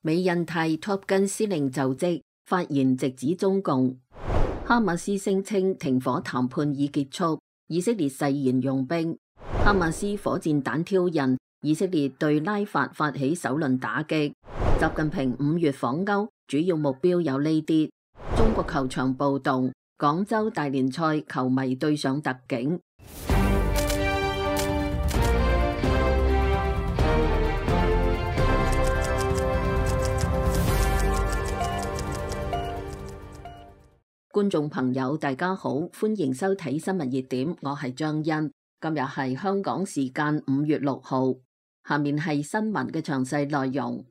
美印泰 Top Gun 司令就職，發言直指中共。哈馬斯聲稱停火談判已結束，以色列誓言用兵。哈馬斯火箭彈挑釁，以色列對拉法發起首輪打擊。習近平5月訪歐，主要目標有呢啲：中國球場暴動，廣州大連賽球迷對上特警。觀眾朋友大家好，歡迎收睇新聞熱點，我係張欣。今日係香港時間5月6號，下面係新聞嘅詳細內容。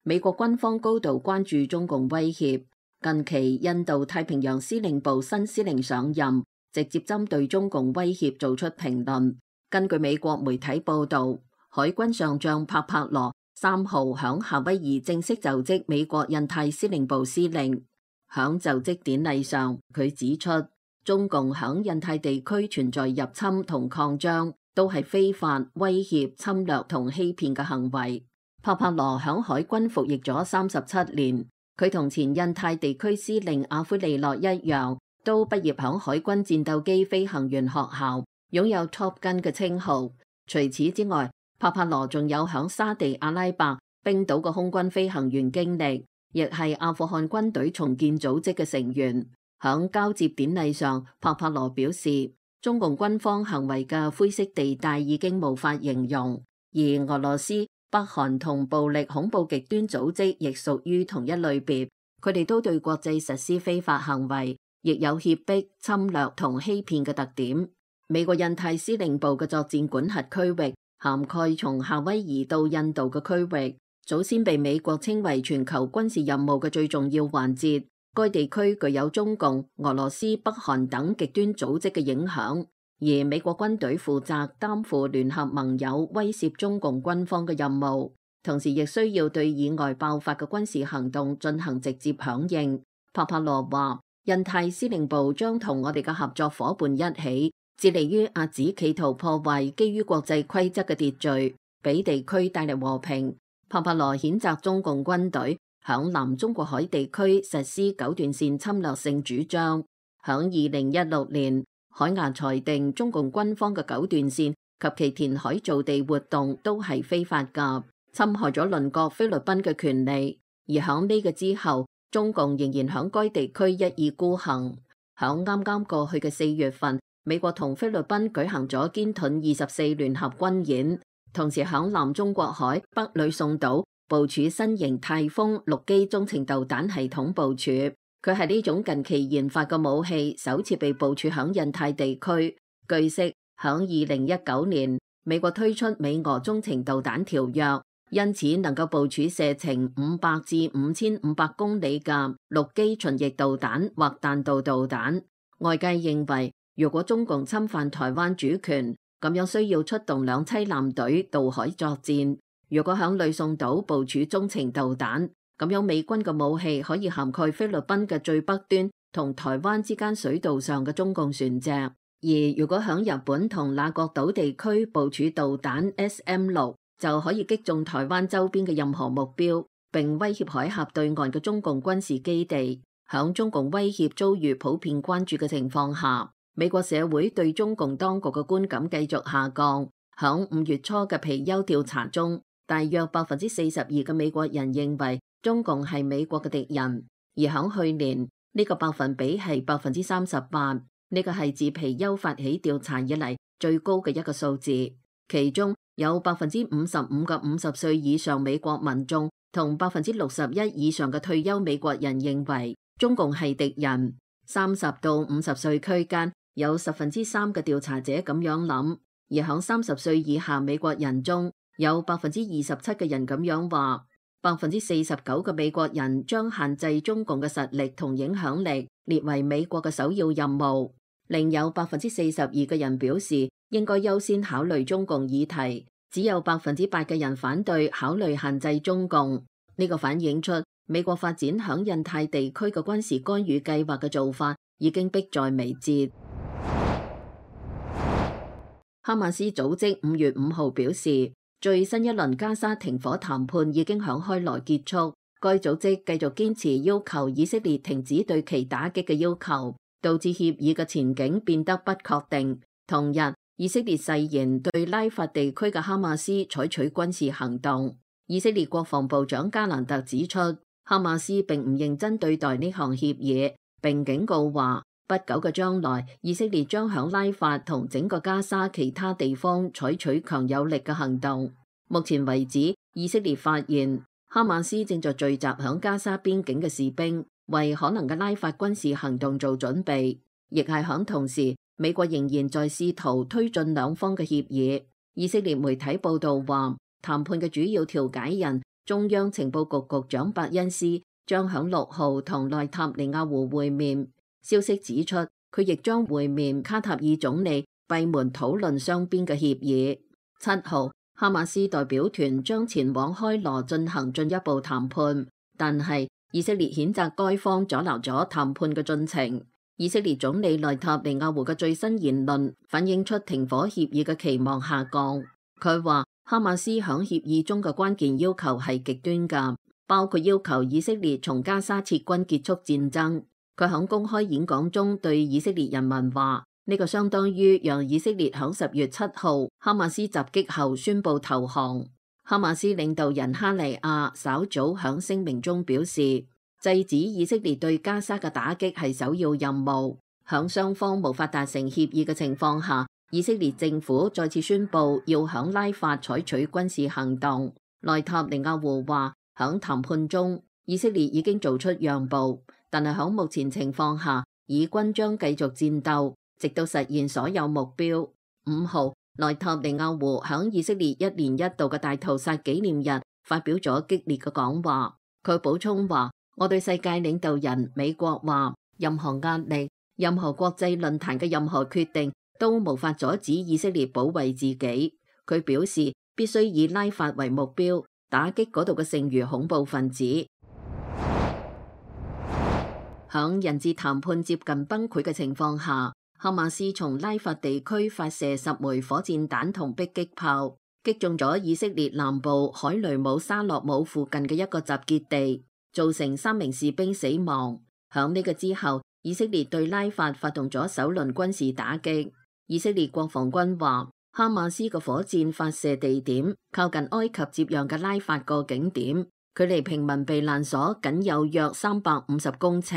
美國軍方高度關注中共威脅，近期印度太平洋司令部新司令上任，直接針對中共威脅做出評論。根據美國媒體報道，海軍上將帕帕羅3號響夏威夷正式就職美國印太司令部司令。響就職典禮上，佢指出，中共響印太地區存在入侵同擴張，都係非法、威脅、侵略同欺騙嘅行為。帕帕羅響海軍服役咗37年，佢同前印太地區司令阿奎利諾一樣，都畢業響海軍戰鬥機飛行員學校，擁有 Top Gun 嘅稱號。除此之外，帕帕羅仲有響沙地阿拉伯、冰島嘅空軍飛行員經歷，亦係阿富汗軍隊重建組織嘅成員。響交接典禮上，帕帕羅表示，中共軍方行為嘅灰色地帶已經無法形容，而俄羅斯、北韓同暴力恐怖極端組織亦屬於同一類別，佢哋都對國際實施非法行為，亦有脅迫、侵略同欺騙嘅特點。美國印太司令部嘅作戰管轄區域涵蓋從夏威夷到印度嘅區域，早先被美國稱為全球軍事任務嘅最重要環節。該地區具有中共、俄羅斯、北韓等極端組織嘅影響，而美國軍隊負責擔負聯合盟友威懾中共軍方嘅任務，同時亦需要對以外爆發嘅軍事行動進行直接響應。帕帕羅話，印太司令部將同我哋嘅合作夥伴一起，致力於遏止企圖破壞基於國際規則嘅秩序，俾地區帶嚟和平。帕帕羅譴責中共軍隊響南中國海地區實施九段線侵略性主張。響2016年，海牙裁定中共軍方嘅九段線及其填海造地活動都係非法㗎，侵害咗鄰國菲律賓嘅權利。而響呢個之後，中共仍然響該地區一意孤行。響啱啱過去嘅4月份，美國同菲律賓舉行咗堅盾24聯合軍演。同時響南中國海北呂宋島部署新型泰豐陸基中程導彈系統部署，佢係呢種近期研發嘅武器首次被部署響印太地區。據悉，響2019年，美國推出美俄中程導彈條約，因此能夠部署射程500至5500公里嘅陸基巡弋導彈或彈道導彈。外界認為，如果中共侵犯台灣主權，咁樣需要出動2棲艦隊渡海作戰。如果響呂宋島部署中程導彈，咁樣美軍嘅武器可以涵蓋菲律賓嘅最北端同台灣之間水道上嘅中共船隻。而如果響日本同那國島地區部署導彈 SM-6，就可以擊中台灣周邊嘅任何目標，並威脅海峽對岸嘅中共軍事基地。響中共威脅遭遇普遍關注嘅情況下，美國社會對中共當局嘅觀感繼續下降。響5月初嘅皮尤調查中，大約42%嘅美國人認為中共係美國嘅敵人，而響去年呢個百分比係38%，呢個係自皮尤發起調查以嚟最高嘅一個數字。其中有55%嘅50歲以上美國民眾同61%以上嘅退休美國人認為中共係敵人。30到50歲區間有3%嘅調查者咁樣諗，而響30歲以下美國人中有27%嘅人咁樣話，49%嘅美國人將限制中共嘅實力同影響力列為美國嘅首要任務，另有42%嘅人表示應該優先考慮中共議題，只有8%嘅人反對考慮限制中共。呢個反映出美國發展響印太地區嘅軍事干預計劃嘅做法已經迫在眉睫。哈馬斯組織5月5號表示，最新一輪加沙停火談判已經響開羅結束，該組織繼續堅持要求以色列停止對其打擊嘅要求，導致協議嘅前景變得不確定。同日，以色列誓言對拉法地區嘅哈馬斯採取軍事行動。以色列國防部長加蘭特指出，哈馬斯並唔認真對待呢項協議，並警告話，不久嘅將來，以色列將響拉法同整個加沙其他地方採取強有力嘅行動。目前為止，以色列發現哈馬斯正在聚集響加沙邊境嘅士兵，為可能嘅拉法軍事行動做準備。亦係響同時，美國仍然在試圖推進兩方嘅協議。以色列媒體報道話，談判嘅主要調解人中央情報局局長伯恩斯將響6號同內塔尼亞胡會面。消息指出，佢亦將會面卡塔爾總理，閉門討論雙邊嘅協議。7號，哈馬斯代表團將前往開羅進行進一步談判，但係以色列譴責該方阻撓咗談判嘅進程。以色列總理內塔尼亞胡嘅最新言論反映出停火協議嘅期望下降。佢話哈馬斯響協議中嘅關鍵要求係極端㗎，包括要求以色列從加沙撤軍結束戰爭。佢響公開演講中對以色列人民話，呢個相當於讓以色列響10月7號哈馬斯襲擊後宣布投降。哈馬斯領導人哈尼亞稍早響聲明中表示，制止以色列對加沙嘅打擊係首要任務。響雙方無法達成協議嘅情況下，以色列政府再次宣布要響拉法採取軍事行動。內塔尼亞胡話，響談判中，以色列已經做出讓步，但係響目前情況下，以軍將繼續戰鬥，直到實現所有目標。5號，內塔尼亞胡響以色列1年1度嘅大屠殺紀念日發表咗激烈嘅講話。佢補充話，我對世界領導人美國話，任何壓力、任何國際論壇嘅任何決定都無法阻止以色列保衛自己。佢表示必須以拉法為目標，打擊嗰度嘅剩餘恐怖分子。響人質談判接近崩潰嘅情況下，哈馬斯從拉法地區發射10枚火箭彈同迫擊炮，擊中咗以色列南部海雷姆沙洛姆附近嘅一個集結地，造成3名士兵死亡。響呢個之後，以色列對拉法發動咗首輪軍事打擊。以色列國防軍話，哈馬斯嘅火箭發射地點靠近埃及接壤嘅拉法個景點，距離平民避難所僅有約350公尺。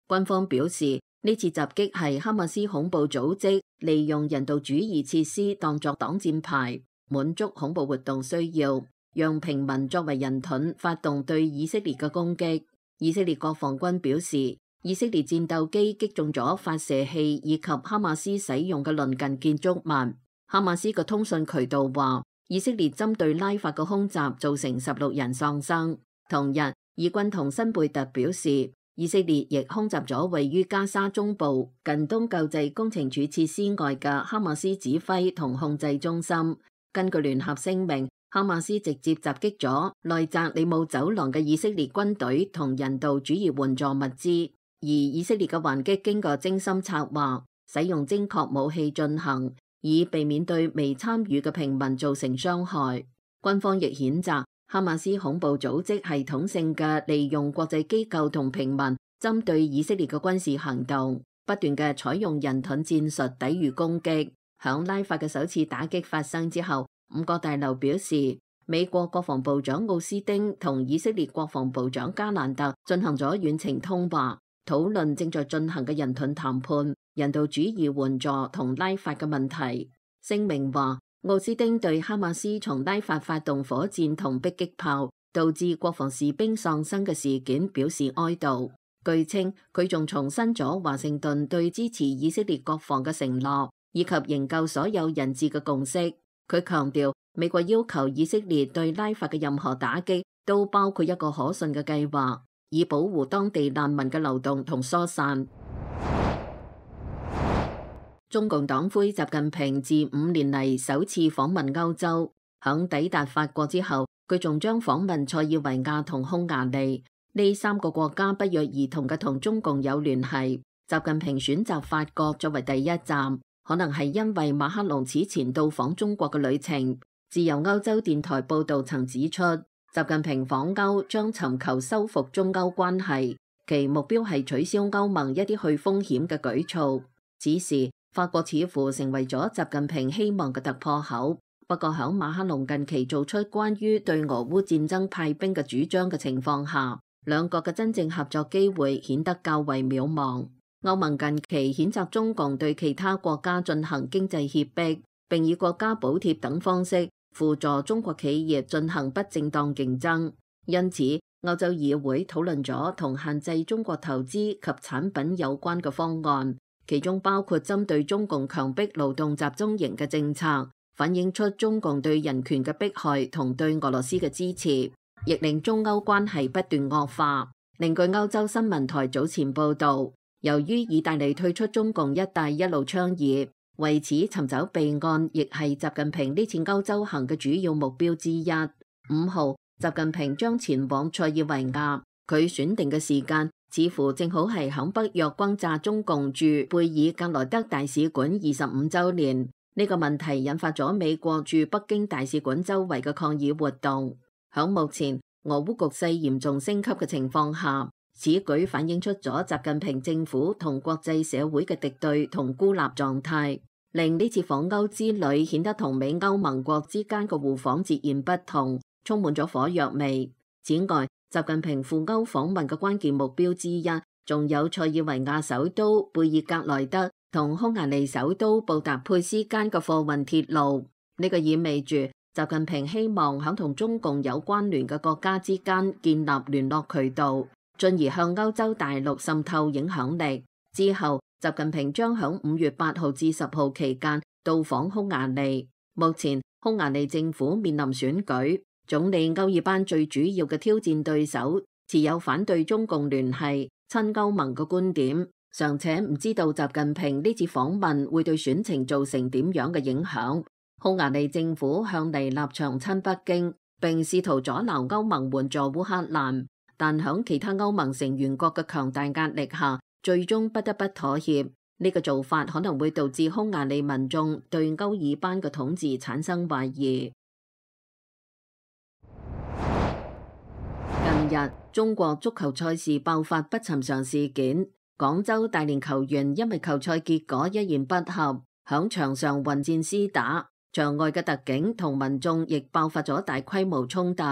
軍方表示，呢次襲擊係哈馬斯恐怖組織利用人道主義設施當作擋箭牌，滿足恐怖活動需要，讓平民作為人盾發動對以色列嘅攻擊。以色列國防軍表示，以色列戰鬥機擊中咗發射器以及哈馬斯使用嘅鄰近建築物。哈馬斯嘅通訊渠道話，以色列針對拉法嘅空襲造成16人喪生。同日，以軍同新貝特表示，以色列亦空襲咗位於加沙中部近東救濟工程處設施外嘅哈馬斯指揮同控制中心。根據聯合聲明，哈馬斯直接襲擊咗內澤里姆走廊嘅以色列軍隊同人道主義援助物資，而以色列嘅還擊經過精心策劃，使用精確武器進行，以避免對未參與嘅平民造成傷害。軍方亦譴責哈馬斯恐怖組織系統性嘅利用國際機構同平民針對以色列嘅軍事行動，不斷嘅採用人盾戰術抵禦攻擊。響拉法嘅首次打擊發生之後，5角大樓表示，美國國防部長奧斯丁同以色列國防部長加蘭特進行咗遠程通話，討論正在進行嘅人盾談判、人道主義援助同拉法嘅問題。聲明話，奧斯丁對哈馬斯從拉法發動火箭同迫擊炮，導致國防士兵喪生嘅事件表示哀悼。據稱，佢仲重申咗華盛頓對支持以色列國防嘅承諾，以及營救所有人質嘅共識。佢強調，美國要求以色列對拉法嘅任何打擊都包括一個可信嘅計劃，以保護當地難民嘅流動同疏散。中共黨魁習近平自5年嚟首次訪問歐洲，響抵達法國之後，佢仲將訪問塞爾維亞同匈牙利。呢3個國家不約而同嘅同中共有聯繫。習近平選擇法國作為第一站，可能係因為馬克龍此前到訪中國嘅旅程。自由歐洲電台報導曾指出，習近平訪歐將尋求修復中歐關係，其目標係取消歐盟一啲去風險嘅舉措。此時，法國似乎成為咗習近平希望嘅突破口。不過喺馬克龍近期做出關於對俄烏戰爭派兵嘅主張嘅情況下，兩國嘅真正合作機會顯得較為渺茫。歐盟近期譴責中共對其他國家進行經濟脅迫，並以國家補貼等方式輔助中國企業進行不正當競爭。因此，歐洲議會討論咗同限制中國投資及產品有關嘅方案，其中包括針對中共強迫勞動集中營嘅政策，反映出中共對人權嘅迫害同對俄羅斯嘅支持，亦令中歐關係不斷惡化。另據歐洲新聞台早前報導，由於意大利退出中共一帶一路倡議，為此尋找備案亦係習近平呢次歐洲行嘅主要目標之一。5號，習近平將前往塞爾維亞，佢選定嘅時間似乎正好係響北約轟炸中共駐貝爾格萊德大使館25週年。呢個問題引發咗美國駐北京大使館周圍嘅抗議活動。響目前俄烏局勢嚴重升級嘅情況下，此舉反映出咗習近平政府同國際社會嘅敵對同孤立狀態，令呢次訪歐之旅顯得同美歐盟國之間嘅互訪截然不同，充滿咗火藥味。此外，習近平赴歐訪問嘅關鍵目標之一，仲有塞爾維亞首都貝爾格萊德同匈牙利首都布達佩斯間嘅貨運鐵路。呢個意味住習近平希望響同中共有關聯嘅國家之間建立聯絡渠道，進而向歐洲大陸滲透影響力。之後，習近平將響5月8號至10號期間到訪匈牙利。目前，匈牙利政府面臨選舉，總理歐爾班最主要嘅挑戰對手持有反對中共聯繫、親歐盟嘅觀點，尚且唔知道習近平呢次訪問會對選情造成點樣嘅影響。匈牙利政府向嚟立場親北京，並試圖阻撓歐盟援助烏克蘭，但響其他歐盟成員國嘅強大壓力下，最終不得不妥協。呢個做法可能會導致匈牙利民眾對歐爾班嘅統治產生懷疑。近日，中國足球賽事爆發不尋常事件，廣州大連球員因為球賽結果一言不合，響場上混戰廝打，場外嘅特警同民眾亦爆發咗大規模衝突。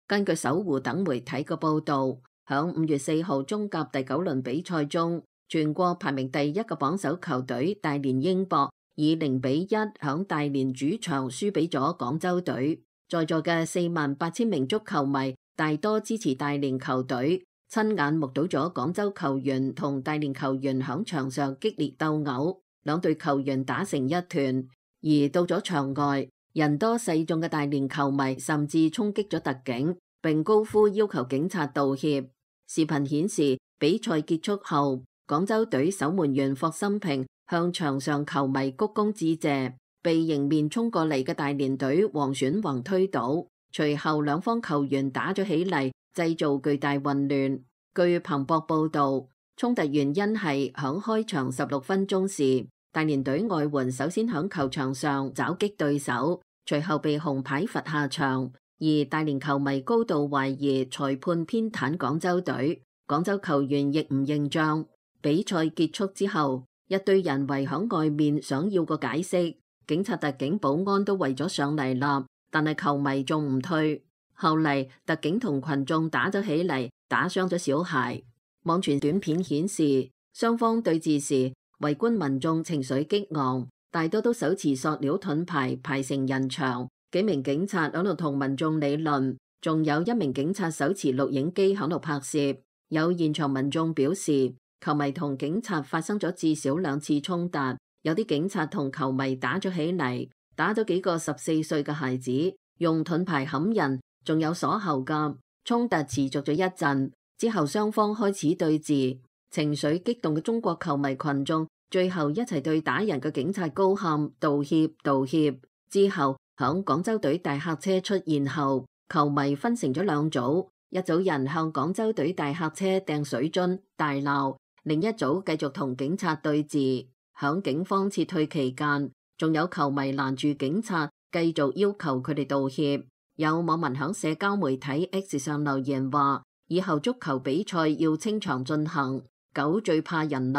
根據搜狐等媒體嘅報導，響5月4號中甲第9輪比賽中，全國排名第1嘅榜首球隊大連英博以0-1響大連主場輸俾咗廣州隊。在座嘅48000名足球迷大多支持大連球隊，親眼目睹咗廣州球員同大連球員響場上激烈鬥毆，兩隊球員打成一團。而到咗場外，人多勢眾嘅大連球迷甚至衝擊咗特警，並高呼要求警察道歉。視頻顯示，比賽結束後，廣州隊守門員霍心平向場上球迷鞠躬致謝，被迎面衝過嚟嘅大連隊王選宏推倒。隨後兩方球員打咗起嚟，製造巨大混亂。據彭博報導，衝突原因係響開場16分鐘時，大連隊外援首先響球場上襲擊對手，隨後被紅牌罰下場。而大連球迷高度懷疑裁判偏袒廣州隊，廣州球員亦唔認賬。比賽結束之後，一堆人圍響外面想要個解釋，警察、特警、保安都圍咗上嚟啦，但係球迷仲唔退。後嚟特警同群眾打咗起嚟，打傷咗小孩。網傳短片顯示，雙方對峙時，圍觀民眾情緒激昂，大多都手持塑料盾牌排成人牆。幾名警察喺度同民眾理論，仲有一名警察手持錄影機喺度拍攝。有現場民眾表示，球迷同警察發生咗至少2次衝突，有啲警察同球迷打咗起嚟，打咗幾個14歲嘅孩子，用盾牌冚人，仲有鎖喉㗎。衝突持續咗一陣，之後雙方開始對峙。情緒激動嘅中國球迷群眾最後一齊對打人嘅警察高喊道歉道歉。之後響廣州隊大客車出現後，球迷分成咗2組，一組人向廣州隊大客車掟水樽大鬧，另一組繼續同警察對峙。響警方撤退期間，仲有球迷攔住警察繼續要求佢哋道歉。有網民響社交媒體 X 上留言話，以後足球比賽要清場進行。狗最怕人立，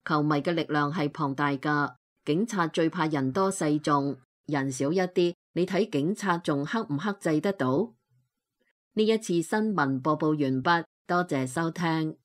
球迷嘅力量係龐大㗎。警察最怕人多勢眾，人少一啲，你睇警察仲克唔克制得到？呢一次新聞播報完畢，多謝收聽。